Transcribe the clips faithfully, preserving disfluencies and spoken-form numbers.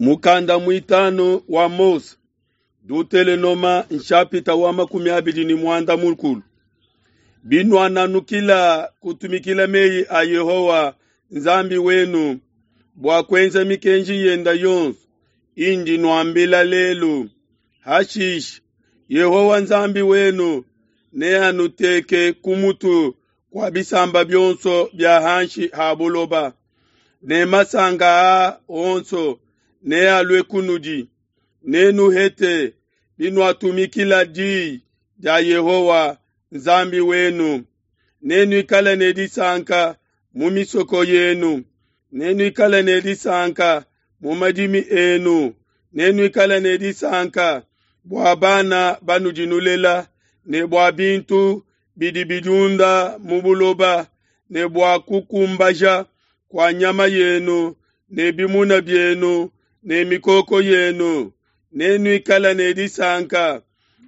Mukanda mwitanu wa Mose, Dutelenoma nshapita wa makumi abidi ni mwanda mukulu. Binwananukila kutumikila meyi a Yehowa Nzambi wenu bua kuenza mikenji yenda yonso indi nwambila lelu. Hashishe Yehowa Nzambi wenu neanuteke ku mutu kua bisamba bionso bia hanshi ha buloba, ne masanka aa onso nealue kunudi. Nenuhete binuatumikila diyi dia Yehowa Nzambi wenu. Nenuikale ne disanka mu misoko yenu, nenuikale ne disanka mu madimi enu, nenuikale ne disanka bua bana banudi nulela, ne bua bintu bidi bidiunda mu buloba, ne bua kukumbaja kua nyama yenu ne bimuna bienu ne mikoko yenu. Nenuikale ne disanka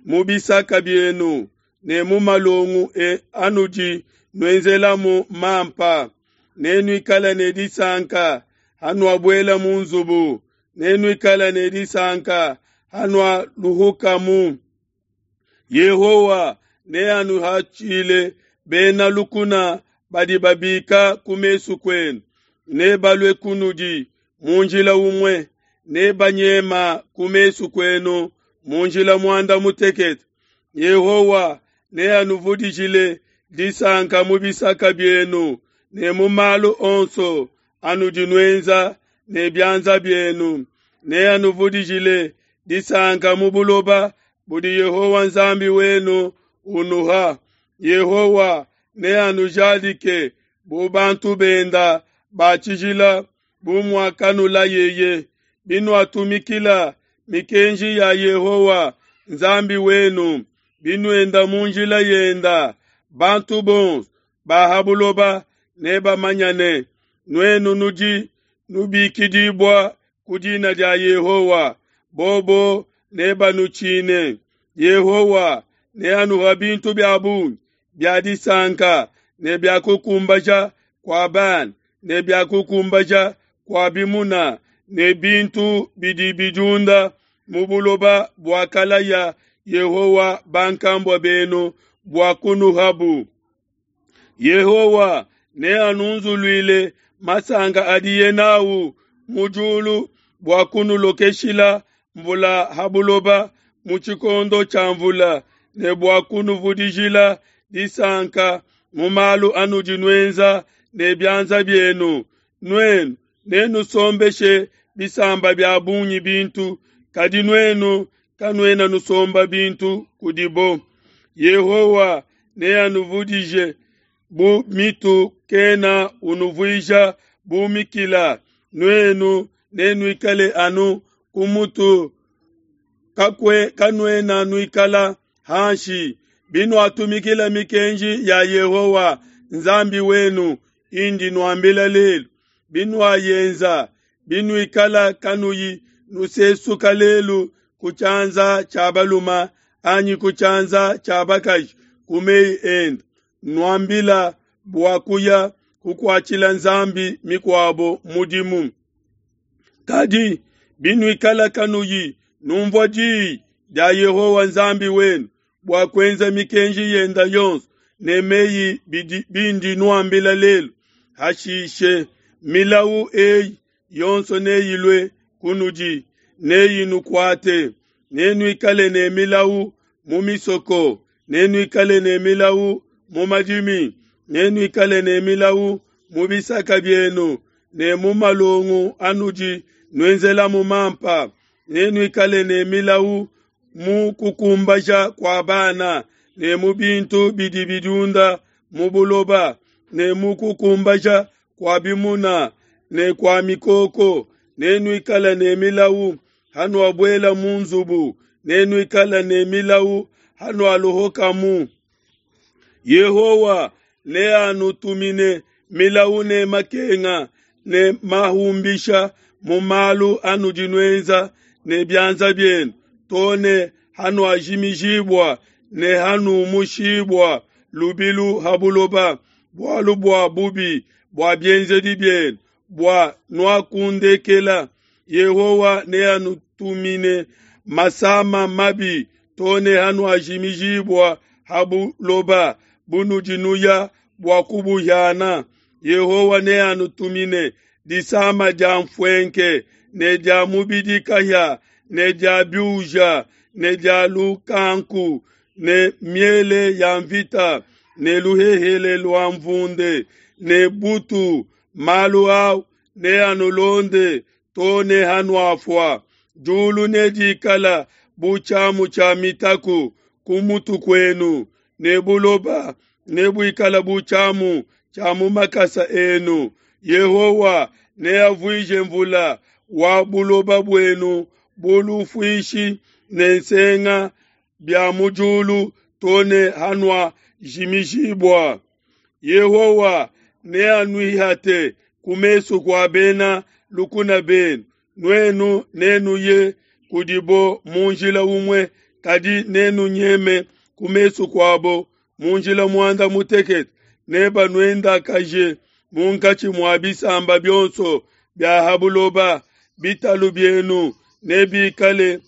mu bisaka bienu ne mu malongo e anudi nuenzelamu mampa. Nenuikale ne disanka hanuabuela mu nzubu, nenuikale ne disanka hanualuhukamu. Yehowa neanuhatshile bena lukuna badi babika ku mesu kuenu, nebalue kunudi mu njila umue, nebanyema ku mesu kuenu mu njila muanda mutekete. Yehowa neanuvudijile disanka mu bisaka bienu ne mu malu onso anudi nuenza ne bianza bienu. Neanuvudijile disanka mu buloba budi Yehowa Nzambi wenu unuha. Yehowa neanujadike bu bantu benda ba tshijila bu muakanulayeye. Binuatumikila mikenji ya Yehowa Nzambi wenu, binuenda mu njila yenda, bantu bonso ba ha buloba nebamanyane nuenu nudi nubikidibua ku dina dia Yehowa, bobo nebanutshine. Yehowa neanuha bintu bia bungi bia disanka ne bia kukumbaja kua bana ne bia kukumbaja kua bimuna ne bintu bidi bidiunda mu buloba buakalaya Yehowa bankambua benu bua kunuhabu. Yehowa neanunzuluile masanka adiye nawu mu diulu bua kunulokeshila mvula ha buloba mu tshikondo tshia mvula, ne bua kunuvudijila disanka mu malu anudi nuenza ne bianza bienu. Nuenu nenusombeshe bisamba bia bungi bintu, kadi nuenu kanuena nusomba bintu kudibo. Yehowa neanuvudije bu mitu, kena unuvuija bu mikila. Nuenu nenuikale anu ku mutu, kakwe kanuena nuikala hanshi. Binuatumikila mikenji ya Yehowa Nzambi wenu indi nuambila lelu, binuayenza, binuikala kanuyi nusesuka lelu ku tshianza tshia balume anyi ku tshianza tshia bakaji ku meyi ende, nuambila bua kuya kukuatshila nzambi mikuabo mudimu. Kadi binuikala kanuyi numvua diyi dia Yehowa Nzambi wenu bua kuenza mikenji yenda yonso ne meyi bindi nuambila lelu, hashishe milawu eyi yonso neyilue kunudi, neyinukuate. Nenuikale ne milawu mu misoko, nenuikale ne milawu mu madimi, nenuikale ne milawu mu bisaka bienu ne mu malongo anudi nuenzelamu mampa, nenuikale ne milawu mu kukumbaja kua bana ne mu bintu bidi bidiunda mu buloba, ne mu kukumbaja kua bimuna ne kua mikoko. Nenuikale ne milawu hanuabuela mu nzubu, nenuikale ne milawu hanualuhukamu. Yehowa neanutumine milawu ne makenga ne mahumbisha mu malu anudi nuenza ne bianza bienu, too ne hanuajimijibua ne hanumushibua lubilu ha buloba, bualu bua bubi bua bienzedi bienu, bua nuakundekela. Yehowa neanutumine masama mabi too ne hanuajimijibua ha buloba bunudi nuya bua kubuhiana. Yehowa neanutumine disama dia mfuenke ne dia mubidi kahia ne dia biuja ne dia lukanku ne miele ya mvita ne luhehele lua mvunde ne butu. Malu au neanulonde too ne hanuafua. Diulu nedikala bu tshiamu tshia mitaku ku mutu kuenu, ne buloba nebuikala bu tshiamu tshia mu makasa enu. Yehowa neavuije mvula wa buloba buenu bu lufuishi ne nsenga bia mu diulu too ne hanuajimijibua. Yehowa neanuihate ku mesu kua bena lukuna benu. Nuenu nenuye kudibo mu njila umue, kadi nenunyeme ku mesu kuabo mu njila muanda mutekete. Nebanuendakaje munkatshi mua bisamba bionso bia ha buloba. Bitalu bienu nebikale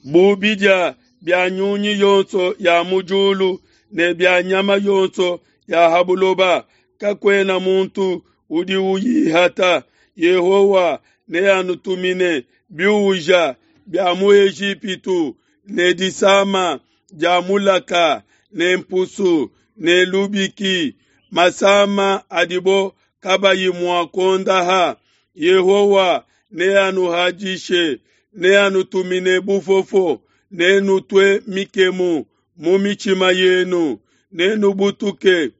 bu bidia bia nyunyi yonso ya mu diulu ne bia nyama yonso ya ha buloba. Kakuena muntu udi uyihata. Yehowa neanutumine biuja bia mu Ejipitu ne disama dia mulaka ne mpusu ne lubiki, masama adibo kabayi mua kuondaha. Yehowa neanuhadishe, neanutumine bufofo, nenutue mikemu mu mitshima yenu, nenubutuke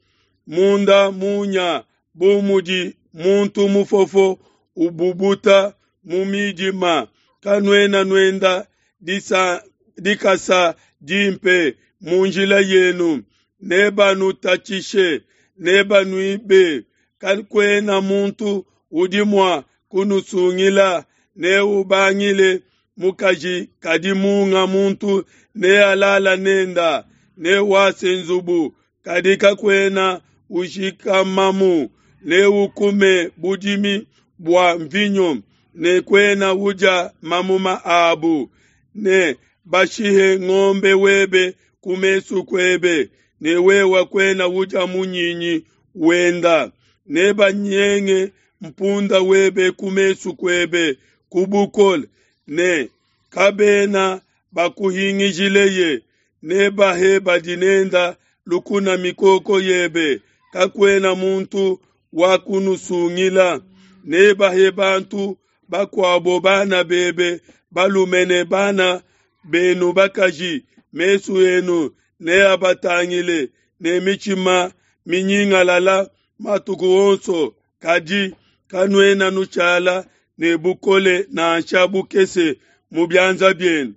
munda munya bu mudi muntu mufofo ububuta mu midima. Kanuena nuenda disa, dikasa dimpe mu njila yenu. Nebanutatshishe, nebanuibe, kakuena muntu udi mua kunusungila. Neubangile mukaji, kadi munga muntu nealala nenda. Newase nzubu, kadi kakuena ushikamamu. Neukume budimi bua mvinyo, ne kuena udia mamuma abu. Ne bashihe ngombe webe ku mesu kuebe, ne wewe kuena udia munyinyi wenda. Nebanyenge mpunda webe ku mesu kuebe ku bukole, ne kabena bakuhingijileye. Nebahe badi nenda lukuna mikoko yebe, kakuena muntu wa kunusungila. Nebahe bantu bakuabo bana bebe balume ne bana benu bakaji. Mesu enu neabatangile ne mitshima minyingalala matuku onso, kadi kanuena nushala ne bukole nansha bukese mu bianza bienu.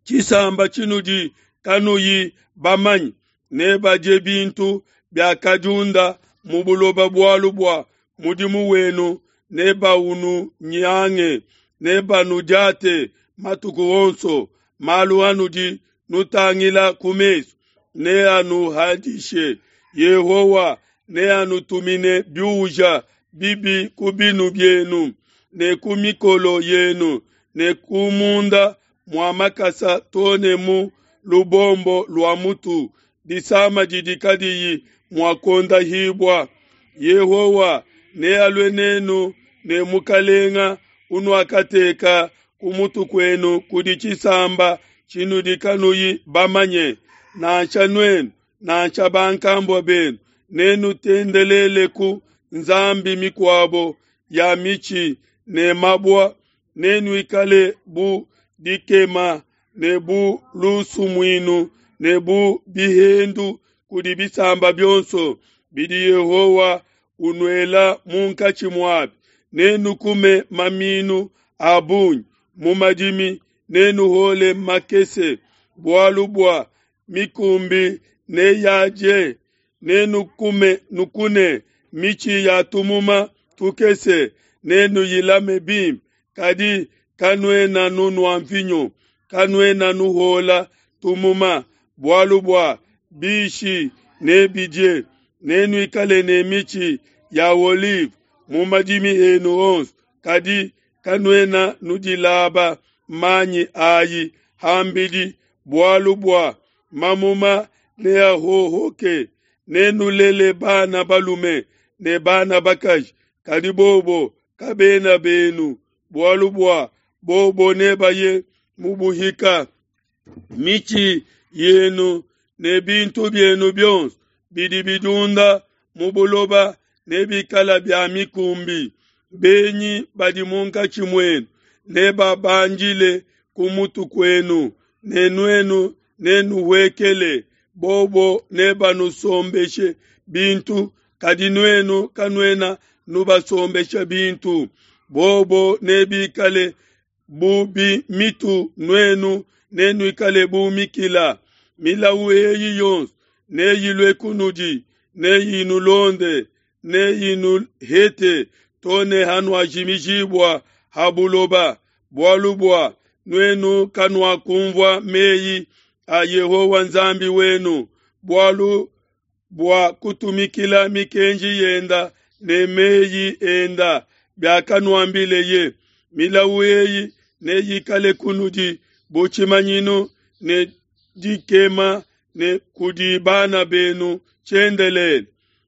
Tshisamba tshinudi kanuyi bamanye nebadie bintu biakadiunda mu buloba bualu bua mudimu wenu nebaununyange, nebanudiate matuku onso. Malu anudi nutangila ku mesu neanuhadishe. Yehowa neanutumine biuja bibi ku binu bienu ne ku mikolo yenu ne ku munda mua makasa too ne mu lubombo lua mutu, disama didi kadiyi mua kuondahibua. Yehowa nealue nenu ne mukalenga unuakateka ku mutu kuenu kudi tshisamba tshinudi kanuyi bamanye, nansha nuenu nansha bankambua benu. Nenutendeleleku nzambi mikuabo ya mitshi ne mabua, nenuikale bu dikema ne bu lusumuinu ne bu bihendu kudi bisamba bionso bidi Yehowa unuela munkatshi muabi. Nenukume maminu a bungi mu madimi, nenuhole makese, bualu bua mikumbi neyadie. Nenukume nukune mitshi ya tumuma tukese, nenuyilame bimpe, kadi kanuena nunua mvinyo, kanuena nuhola tumuma, bualu bua bishi nebidie. Nenuikale ne mitshi ya olive mu madimi enu onso, kadi Kanuena nudilaba manyi ayi ham'bidi, bualu bua mamuma neahohoke. Nenulele bana balume ne bana bakaji, kadi bobo kabena benu, bualu bua bobo nebaye mu buhika. Mitshi yenu ne bintu bienu bionso bidi bidiunda mu buloba nebikale bia mikumbi. Benyi badi munkatshi muenu nebabandile ku mutu kuenu, ne nuenu nenuhuekele. Bobo nebanusombeshe bintu, kadi nuenu kanuena nubasombesha bintu. Bobo nebikale bu mitu, nuenu nenuikale bu mikila. Milawu eyi yonso neyilue kunudi, neyinulonde, neyinuhete to ne hanuajimijibua ha buloba, bualu bua nuenu kanuakunvua meyi a Yehowa Nzambi wenu, bualu bua kutumikila mikenji yenda ne meyi enda biakanuambileye. Milawu eyi neyikale kunudi bu tshimanyinu ne dikema ne kudi bana benu tshiendelele,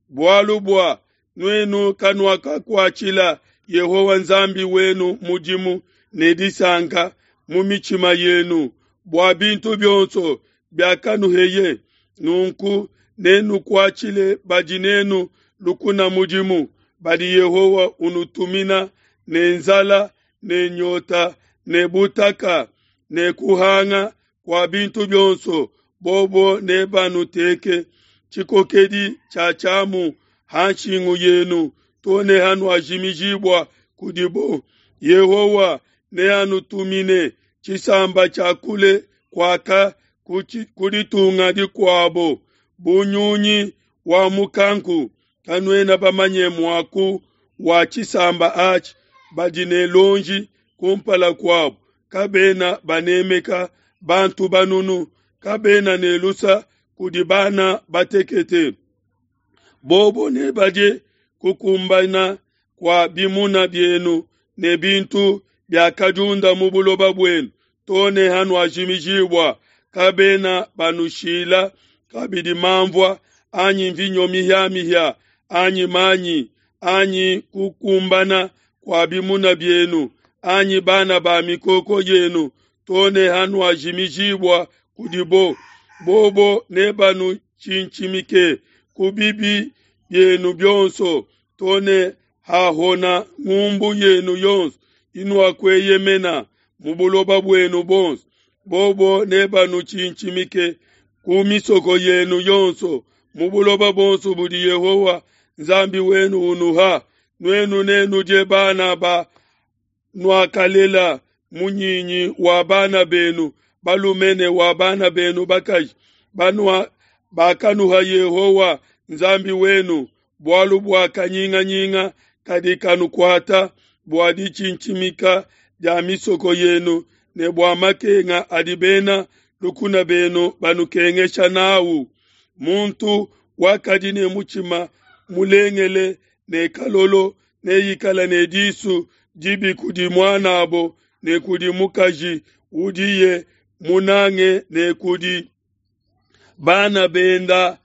bualu bua nuenu kanuakakuatshila Yehowa Nzambi wenu mudimu ne disanka mu mitshima yenu bua bintu bionso biakanuheye. Nunku nenukuatshile badi nenu lukuna mudimu, badi Yehowa unutumina ne nzala ne nyota ne butaka ne kuhanga kua bintu bionso. Bobo nebanuteke tshikokedi tshia tshiamu ha nshingu yenu to ne hanuajimijibua kudibo. Yehowa neanutumine tshisamba tshia kule kuaka ku ditunga dikuabo bu nyunyi wa mukanku. Kanuena bamanye muaku wa tshisamba atshi, badi ne luonji kumpala kuabo, kabena banemeka bantu banunu, kabena ne lusa kudi bana batekete. Bobo nebadie kukumbana kua bimuna bienu ne bintu biakadiunda mu buloba buenu to ne hanuajimijibua. Kabena banushila kabidi manvua anyi mvinyo mihiamihia anyi manyi anyi kukumbana kua bimuna bienu anyi bana ba mikoko yenu to ne hanuajimijibua kudibo. Bobo nebanutshintshimike ku bibi bienu bionso to ne hahona ngumbu yenu yonso inuakueyemena mu buloba buenu buonso. Bobo nebanutshintshimike ku misoko yenu yonso mu buloba buonso budi Yehowa Nzambi wenu unuha. Nuenu nenudie bana ba nuakalela munyinyi wa bana benu balume ne wa bana benu bakaji banua bakanuha Yehowa Nzambi wenu, bualu bua kanyinganyinga kadi kanukuata bua ditshintshimika dia misoko yenu ne bua makenga adi bena lukuna benu banukengesha nawu. Muntu wakadi ne mutshima mulengele ne kalolo neikale ne disu dibi kudi muanabo ne kudi mukaji udiye munange ne kudi bana benda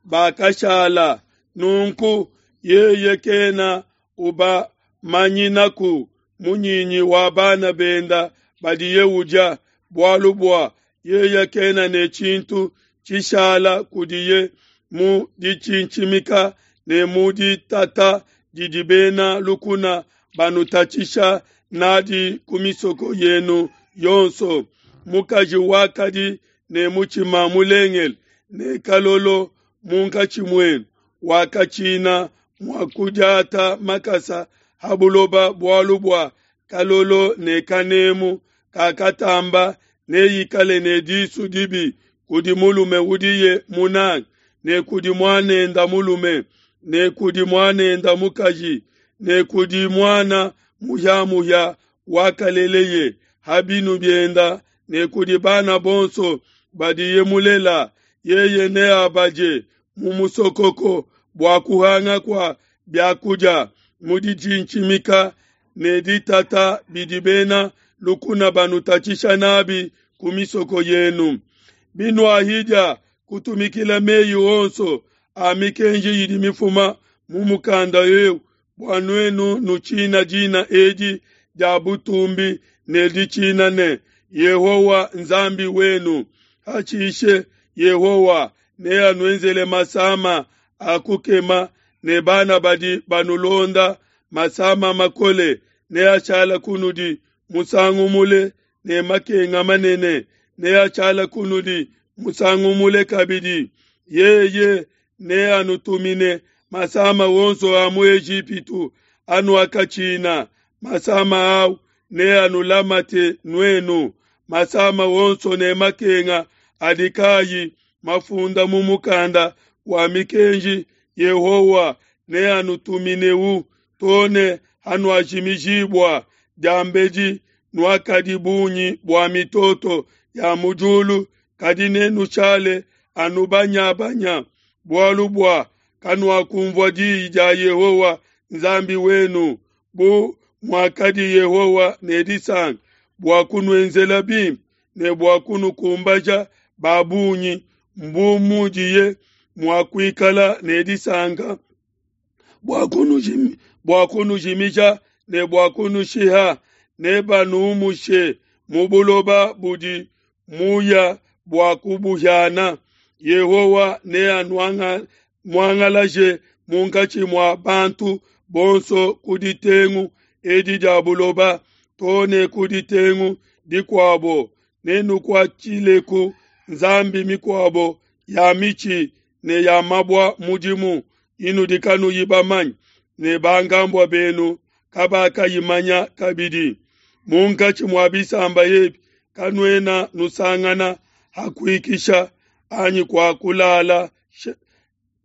bakashala. Nunku yeye kena ubamanyinaku munyinyi wa bana benda badiye udia, bualu bua yeye kena ne tshintu tshishala kudiye mu ditshintshimika ne mu ditata didi bena lukuna banutatshisha nadi ku misoko yenu yonso. Mukaji wakadi ne mutshima mulengele ne kalolo munkatshi muenu wakatshina mua kudiata makasa ha buloba, bualu bua kalolo ne kanemu kakatamba neikale ne disu dibi kudi mulume udiye munange ne kudi muanenda mulume ne kudi muanenda mukaji ne kudi muana muhiamuhia wakaleleye ha binu bienda ne kudi bana bonso badiye mulela. Yeye neabaje mu musokoko bua kuhanga kua biakudia mu ditshintshimika ne ditata bidi bena lukuna banutatshisha nabi ku misoko yenu. Binuahidia kutumikila meyi onso a mikenji idi mifuma mu mukanda eu, bua nuenu nutshina dina edi dia butumbi ne ditshina ne Yehowa Nzambi wenu, hashishe Yehowa neanuenzele masama a kukema ne bana badi banulonda, masama makole neashala kunudi musangu mule ne makenga manene neashala kunudi musangu mule kabidi. Yeye neanutumine masama onso a mu Ejipitu anuakatshina, masama au neanulamate nuenu, masama onso ne makenga adi kayi mafunda mu mukanda wa mikenji Yehowa neanutumineu to ne hanuajimijibua. Diambedi nuakadi bungi bua mitoto ya mu diulu, kadi nenushale anu banya-banya, bualu bua kanuakunvua diyi dia Yehowa Nzambi wenu, bu muakadi Yehowa ne disanka bua kunuenzela bimpe ne bua kunukumbaja ba bungi, mbu mudiye mua kuikala ne disanka bua kunujimi, bua kunujimija ne bua kunushiha. Nebanumushe mu buloba budi muya bua kubuhiana. Yehowa neanumuangalaje munkatshi mua bantu bonso ku ditengu edi dia buloba to ne ku ditengu dikuabo. Nenukuatshileku nzambi mikuabo ya mitshi ne ya mabua mudimu inudi kanuyi bamanye, ne bankambua benu kabakayimanya kabidi. Munkatshi mua bisamba ebi kanuena nusangana ha kuikisha anyi kua kulala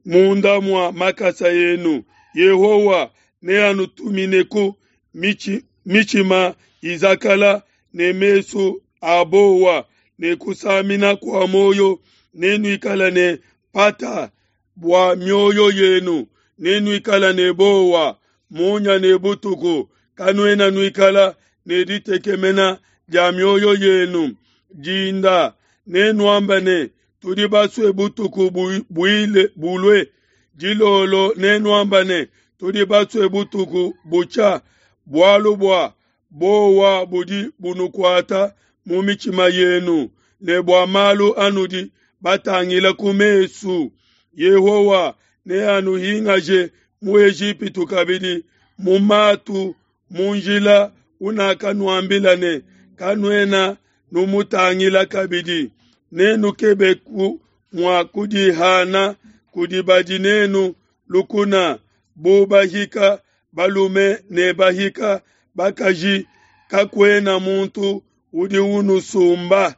munda mua makasa enu. Yehowa neanutumineku michi, mitshima izakala ne mesu a bowa ne kusamina kua muoyo, nenuikale ne pata bua mioyo yenu, nenuikale ne bowa munya ne butuku, kanuena nuikala ne ditekemena dia mioyo yenu. Dinda nenuambe ne, tudi basue butuku buile bulue. Dilolo nenuambe ne, tudi basue butuku butshia, bualu bua bowa budi bunukuata mu mitshima yenu, ne bua malu anudi batangila ku mesu. Yehowa neanuhingaje mu Ejipitu kabidi mu matu mu njila unakanuambila ne, kanuena numutangila kabidi. Nenukebeku mua kudihana kudi badi nenu lukuna, bu bahika balume ne bahika bakaji, kakuena muntu udi unusumba.